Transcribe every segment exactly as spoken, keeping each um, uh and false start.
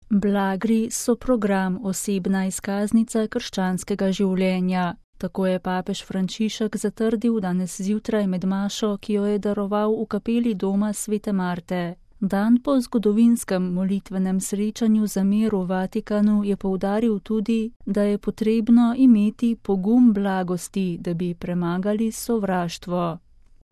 Blagri so program, osebna izkaznica krščanskega življenja. Tako je papež Frančišek zatrdil danes zjutraj med mašo, ki jo je daroval v kapeli doma svete Marte. Dan po zgodovinskem molitvenem srečanju za mir v Vatikanu je poudaril tudi, da je potrebno imeti pogum blagosti, da bi premagali sovraštvo.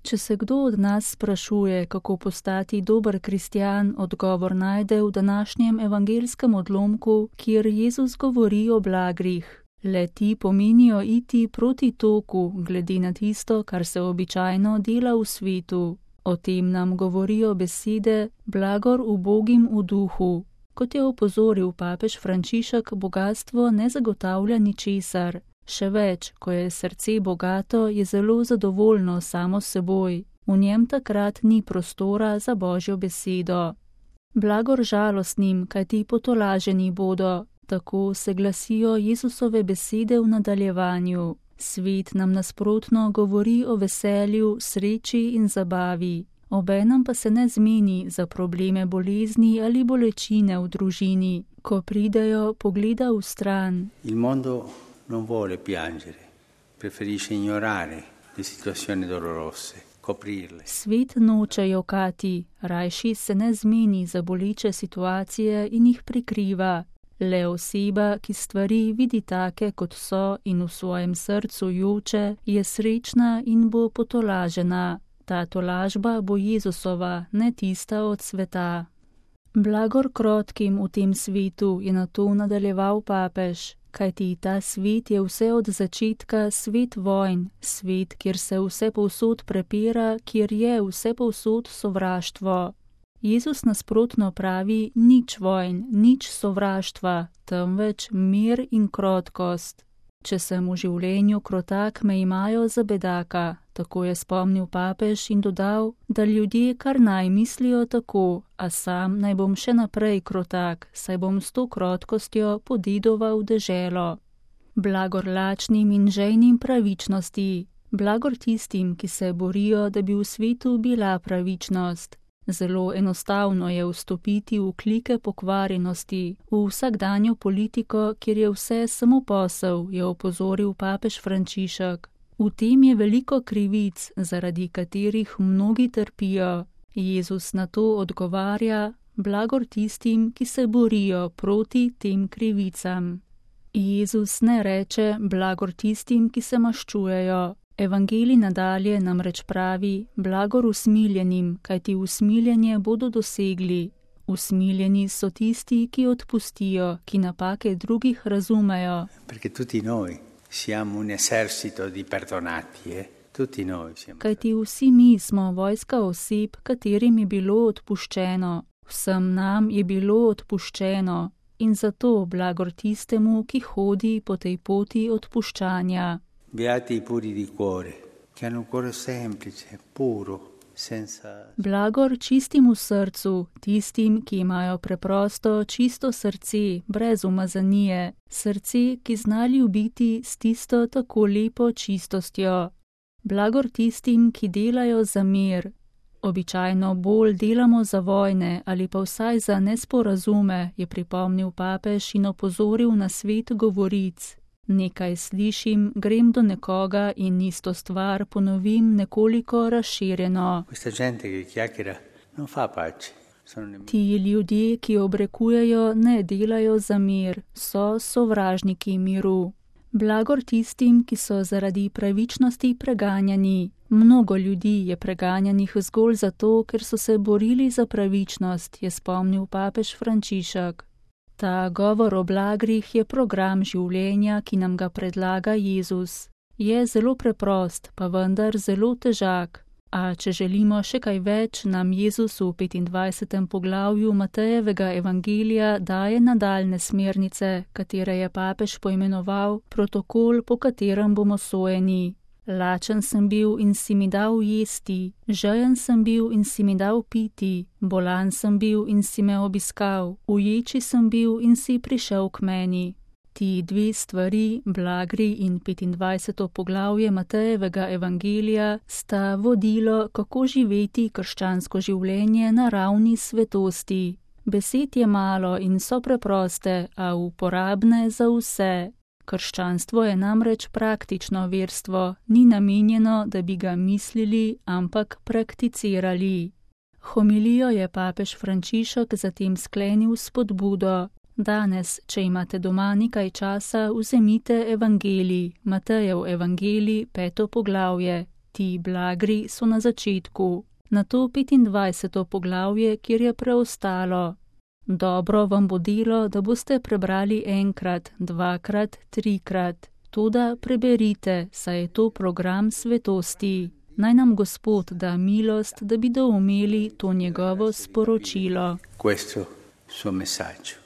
Če se kdo od nas sprašuje, kako postati dober kristjan, odgovor najde v današnjem evangelskem odlomku, kjer Jezus govori o blagrih. Le ti pomenijo iti proti toku, glede na tisto, kar se običajno dela v svetu. O tem nam govorijo besede blagor ubogim v duhu. Kot je opozoril papež Frančišek, bogastvo ne zagotavlja ničesar. Še več, ko je srce bogato, je zelo zadovoljno samo s seboj. V njem takrat ni prostora za Božjo besedo. Blagor žalostnim, kajti potolaženi bodo. Tako se glasijo Jezusove besede v nadaljevanju. Svet nam nasprotno govori o veselju, sreči in zabavi. Obenem pa se ne zmeni za probleme bolezni ali bolečine v družini, ko pridejo, pogleda v stran. Il mondo non vuole piangere, preferisce ignorare le situazioni dolorose, coprirle. Svet noče jokati, rajši se ne zmeni za boleče situacije in jih prikriva. Le oseba, ki stvari vidi take, kot so in v svojem srcu joče, je srečna in bo potolažena. Ta tolažba bo Jezusova, ne tista od sveta. Blagor krotkim v tem svetu, je nato nadaljeval papež, kajti ta svet je vse od začetka svet vojn, svet, kjer se vse povsod prepira, kjer je vse povsod sovraštvo. Jezus nasprotno pravi nič vojn, nič sovraštva, temveč mir in krotkost. Če sem v življenju krotak, me imajo za bedaka, tako je spomnil papež in dodal, da ljudje kar naj mislijo tako, a sam naj bom še naprej krotak, saj bom s to krotkostjo podedoval deželo. Blagor lačnim in žejnim pravičnosti, blagor tistim, ki se borijo, da bi v svetu bila pravičnost. Zelo enostavno je vstopiti v klike pokvarjenosti, v vsakdanjo politiko, kjer je vse samo posel, je opozoril papež Frančišek. V tem je veliko krivic, zaradi katerih mnogi trpijo. Jezus na to odgovarja, blagor tistim, ki se borijo proti tem krivicam. Jezus ne reče blagor tistim, ki se maščujejo. Evangelij nadalje namreč pravi, blagor usmiljenim, kajti usmiljenje bodo dosegli. Usmiljeni so tisti, ki odpustijo, ki napake drugih razumejo. Perché tutti noi siamo un esercito di perdonati, eh? Tutti noi siamo. Kajti vsi mi smo vojska oseb, katerim je bilo odpuščeno. Vsem nam je bilo odpuščeno. In zato blagor tistemu, ki hodi po tej poti odpuščanja. Beati i puri di cuore, che hanno un cuore semplice, puro, senza... Blagor čistim v srcu, tistim, ki imajo preprosto, čisto srce, brez umazanije, srce, ki zna ljubiti s tisto tako lepo čistostjo. Blagor tistim, ki delajo za mir. Običajno bolj delamo za vojne ali pa vsaj za nesporazume, je pripomnil papež in opozoril na svet govoric. Nekaj slišim, grem do nekoga in isto stvar ponovim nekoliko razširjeno. Ti ljudje, ki obrekujejo, ne delajo za mir, so sovražniki miru. Blagor tistim, ki so zaradi pravičnosti preganjani. Mnogo ljudi je preganjanih zgolj zato, ker so se borili za pravičnost, je spomnil papež Frančišek. Ta govor o blagrih je program življenja, ki nam ga predlaga Jezus. Je zelo preprost, pa vendar zelo težak. A če želimo še kaj več, nam Jezus v petindvajsetem poglavju Matejevega evangelija daje nadaljne smernice, katere je papež poimenoval protokol, po katerem bomo sojeni. Lačen sem bil in si mi dal jesti, žejen sem bil in si mi dal piti, bolan sem bil in si me obiskal, uječi sem bil in si prišel k meni. Ti dve stvari, blagri in petindvajseto poglavje Matejevega evangelija, sta vodilo, kako živeti krščansko življenje na ravni svetosti. Besed je malo in so preproste, a uporabne za vse. Krščanstvo je namreč praktično verstvo, ni namenjeno, da bi ga mislili, ampak prakticirali. Homilijo je papež Frančišek zatem sklenil s spodbudo. Danes, če imate doma nekaj časa, vzemite evangelij, Matejev evangelij, peto poglavje. Ti blagri so na začetku. Nato petindvajseto poglavje, kjer je preostalo. Dobro vam bo delo, da boste prebrali enkrat, dvakrat, trikrat. Toda preberite, saj je to program svetosti. Naj nam Gospod da milost, da bi doumeli to njegovo sporočilo. Questo suo messaggio.